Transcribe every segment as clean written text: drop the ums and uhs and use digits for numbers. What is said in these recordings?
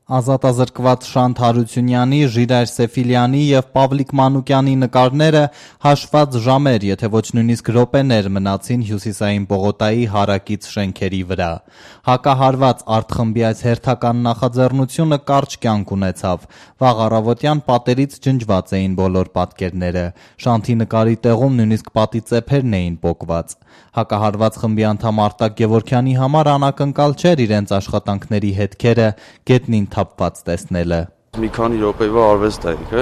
Ազատազրկված Շանթ Հարությունյանի, Ժիրայր Սեֆիլյանի և Պավլիկ Մանուկյանի նկարները հաշված ժամեր, եթե ոչ նույնիսկ րոպեներ մնացին Հյուսիսային պողոտայի հարակից շենքերի վրա։ Հակահարված արտխմբի այս հերթական նախաձեռնությունը կարճ կյանք ունեցավ։ Վաղ առավոտյան պատերից ջնջված էին բոլոր պատկերները։ Շանթի նկարի տեղում նույնիսկ պատի ծեփերն էին պոկված։ Հակահարված խմբի անդամ Արտակ Գևորգյանի համար անակնկալ չէր իրենց աշխատանքների հետքերը գետնին թափված տեսնելը։ Մի քանի րոպեվա արվեստ է եկը,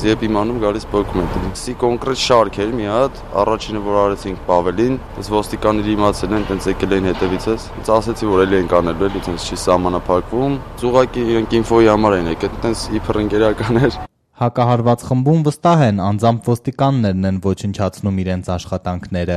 երբ իմանում գալիս պոկում է։ Սի կոնկրետ շարք էր մի հատ, առաջինը որ արեցինք Պավելին, այս ոստիկանները իմացել են, տենց եկել էին հետևիցս, ինձ ասեցի որ էլի են կանելու, էլի տենց չի սահմանափակվում, ուղղակի իրենք ինֆոյի համար էին եկել, տենց իբր ընկերական էր։ Հակահարված խմբում վստահ են, անձամբ ոստիկաններն են ոչնչացնում իրենց աշխատանքները։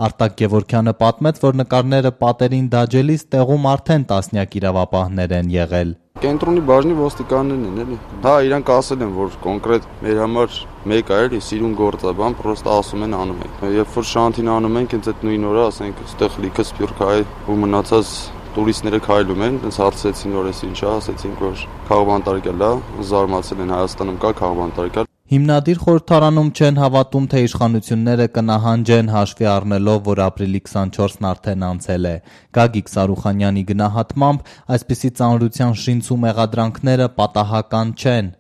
Արտակ Գևորգյանը պատմեց, որ նկարները պատերին դաջելիս տեղում արդեն տասնյակ իրավապահներ են եղել։ Կենտրոնի բաժնի ոստիկաններն են էլի։ Հա, իրանք ասել են, որ կոնկրետ մեր համար մեկ է էլի, սիրուն գործ է, բան, պրոստը ասում են անում ենք։ Երբ որ Շանթին անում ենք, հենց այդ նույն օրը, ասենք, այդտեղ լիքը սփյուռք հայ ու մնացած տուրիստները քայլում են, այնց հարցրեցին, որ էս ինչ է, ասեցինք, որ քաղբանտարկել է, զարմացել են Հայաստանում կա քաղբանտարկել։ Հիմնադիր խորհրդարանում չեն հավատում, թե իշխանությունները կնահանջեն հաշվի առնելով, որ ապրիլի 24-ն արդեն անցել է։ Գագիկ Սարուխանյանի գնահատմամբ, այսպիսի ծանրության շինց ու մեղադրանքները պատահական չեն։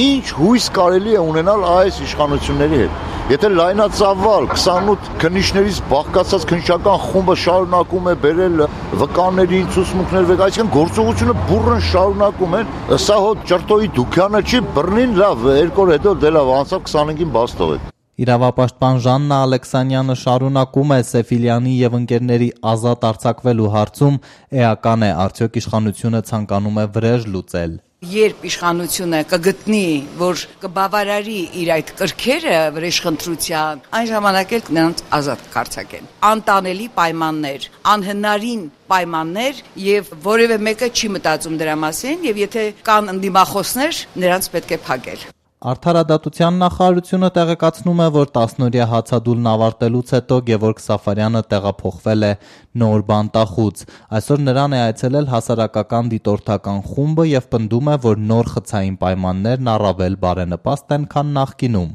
Ինչ հույս կարելի է ունենալ այս իշխանությունների հետ։ Եթե լայնածավալ 28 քննիչներից բաղկացած քննչական խումբը շարունակում է բերել վկաններին, ցուցմունքներ վեր, այսինքն գործողությունը բուռն շարունակում են, սա հոտ ճրտոյի դուքյանը չի, բռնին լավ, 2 օր հետո դե լավ, անցավ 25-ին բաց թողեք։ Իրավապաշտպան Ժաննա Ալեքսանյանը շարունակում է Սեֆիլյանի եւ ընկերների ազատ արձակվելու հարցում էական է, արդյոք իշխանությունը ցանկանում է վրեժ լուծել։ Երբ իշխանությունը կգտնի, որ կբավարարի իր այդ կրքերը վրեժխնդրության, այն ժամանակ էլ նրանց ազատ կարձակեն։ Անտանելի պայմաններ, անհնարին պայմաններ եւ որևէ մեկը չի մտածում դրա մասին եւ եթե կան ընդդիմախոսներ, նրանց պետք է փակել։ Արդարադատության նախարարությունը տեղեկացնում է, որ 10-օրյա հացադուլն ավարտելուց հետո Գևորգ Սաֆարյանը տեղափոխվել է նոր բանտախուց։ Այսօր նրան է այցելել հասարակական դիտորդական խումբը եւ պնդում է, որ նոր խցային պայմաններն առավել բարենպաստ են, քան նախկինում։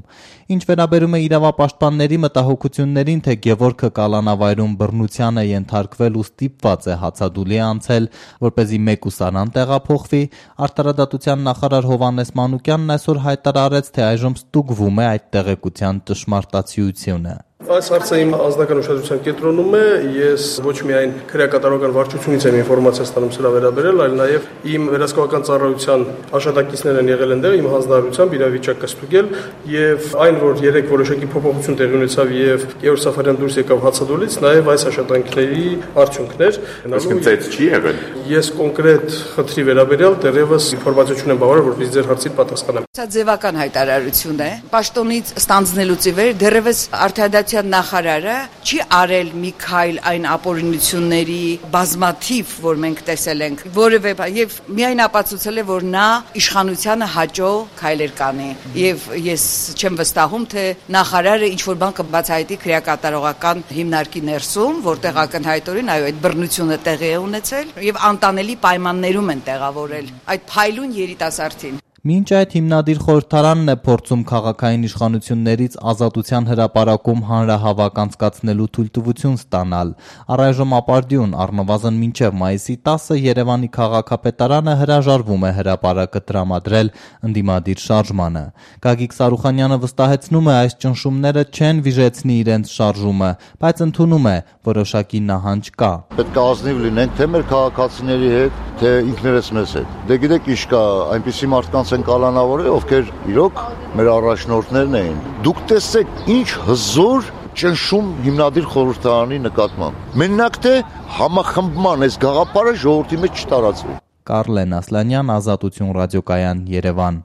Ինչ վերաբերում է իրավապաշտպանների մտահոգություններին, թե Գևորգը կալանավայրում բռնության է ենթարկվել ու ստիպված է հացադուլի անցել, որպեսզի մեկուսարան տեղափոխվի, արդարադատության նախարար Հովհաննես Մանուկյանն այսօր հայտարարեց, թե այժմ ստուգվում է այդ տեղեկության ճշմարտացիությունը։ Այս հարցը իմ անձնական ուշադրության կենտրոնում է, ես ոչ միայն քրեակատարողական վարչությունից եմ ինֆորմացիա ստանում սրա վերաբերել, այլ նաև իմ վերահսկողական ծառայության աշխատակիցներ են եղել այնտեղ, իմ հանձնարարությամբ իրավիճակը ստուգել եւ այն, որ 3 որոշակի փոփոխություն տեղի ունեցավ եւ Գևորգ Սաֆարյան դուրս եկավ հացադուլից, նաև այս աշխատանքների արդյունքներ։ Իսկ ծեծ չի եղել։ Ես կոնկրետ խնդրի վերաբերյալ դեռևս ինֆորմացիա չունեմ բավարար, որպեսզի ձեր հարցին պատասխանեմ։ Սա ձևական հայտարարություն է։ Պաշտոնից ստանձնելուց ի վեր դեռևս արդարադատության նախարարը չի արել մի քայլ այն ապօրինությունների բազմաթիվ, որ մենք տեսել ենք, որևէ եւ միայն ապացուցել է, որ նա իշխանությանը հաճո քայլեր կանի։ Եվ ես չեմ վստահում, թե նախարարը ինչ որ բան կբացահայտի քրեակատարողական հիմնարկի ներսում, որտեղ ակնհայտորեն այո, այդ բռնությունը տեղի է ունեցել եւ անտանելի պայմաններում են տեղավորել այդ փայլուն երիտասարդին։ Մինչ այդ հիմնադիր խորհրդարանն է փորձում քաղաքային իշխանություններից ազատության հրապարակում հանրահավաք անցկացնելու թույլտվություն ստանալ։ Առայժմ ապարդյուն առնվազն մինչև մայիսի 10-ը Երևանի քաղաքապետարանը հրաժարվում է հրապարակը տրամադրել ընդդիմադիր շարժմանը։ Գագիկ Սարուխանյանը վստահեցնում է, այս ճնշումները չեն վիժեցնի իրենց շարժումը, բայց ընդունում է, որոշակի նահանջ կա։ Պետք է ազնիվ լինենք թե մեր քաղաքացիների հետ, թե ինքներս մեզ հետ։ Դե գիտեք ինչ կա, այնպիսի մարդկանց են կալանավորել, ովքեր իրոք մեր առաջնորդներն էին։ Դուք տեսեք ինչ հզոր ճնշում հիմնադիր խորհրդարանի նկատմամբ։ Մենակ թե համախմբման այս գաղափարը ժողովրդի մեջ չտարածվի։ Կարլեն Ասլանյան, Ազատություն ռադիոկայան, Երևան։